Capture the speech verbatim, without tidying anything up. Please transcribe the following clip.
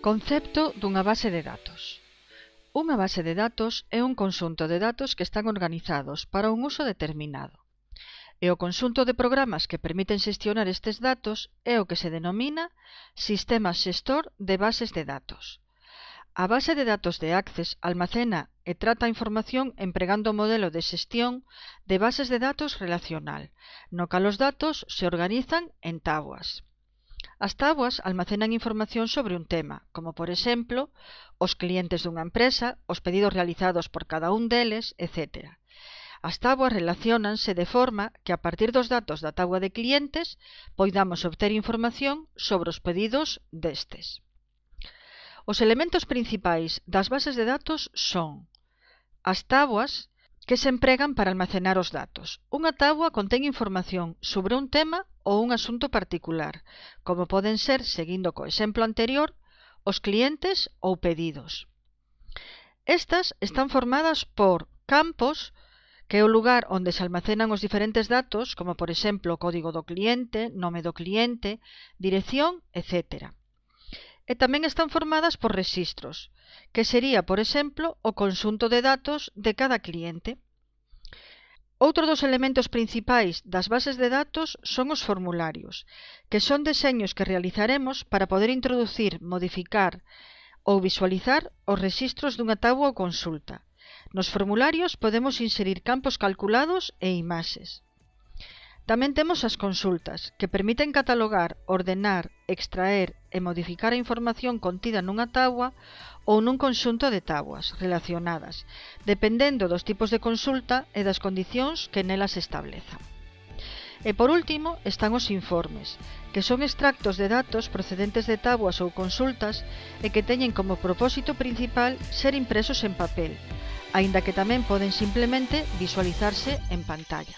Concepto dunha base de datos. Unha base de datos é un conxunto de datos que están organizados para un uso determinado. E o conxunto de programas que permiten xestionar estes datos é o que se denomina sistema xestor de bases de datos. A base de datos de Access almacena e trata a información empregando o modelo de xestión de bases de datos relacional, no cal os datos se organizan en táboas. As táboas almacenan información sobre un tema, como por exemplo, os clientes dunha empresa, os pedidos realizados por cada un deles, etcétera. As táboas relaciónanse de forma que a partir dos datos da táboa de clientes poidamos obter información sobre os pedidos destes. Os elementos principais das bases de datos son as táboas que se empregan para almacenar os datos. Unha táboa contén información sobre un tema ou un asunto particular, como poden ser, seguindo co exemplo anterior, os clientes ou pedidos. Estas están formadas por campos, que é o lugar onde se almacenan os diferentes datos, como por exemplo o código do cliente, nome do cliente, dirección, etcétera. E tamén están formadas por rexistros, que sería, por exemplo, o conxunto de datos de cada cliente. Outro dos elementos principais das bases de datos son os formularios, que son deseños que realizaremos para poder introducir, modificar ou visualizar os rexistros dunha táboa ou consulta. Nos formularios podemos inserir campos calculados e imaxes. Tamén temos as consultas, que permiten catalogar, ordenar, extraer e modificar a información contida nunha táboa ou nun conxunto de táboas relacionadas, dependendo dos tipos de consulta e das condicións que nelas se establezan. E por último están os informes, que son extractos de datos procedentes de táboas ou consultas e que teñen como propósito principal ser impresos en papel, aínda que tamén poden simplemente visualizarse en pantalla.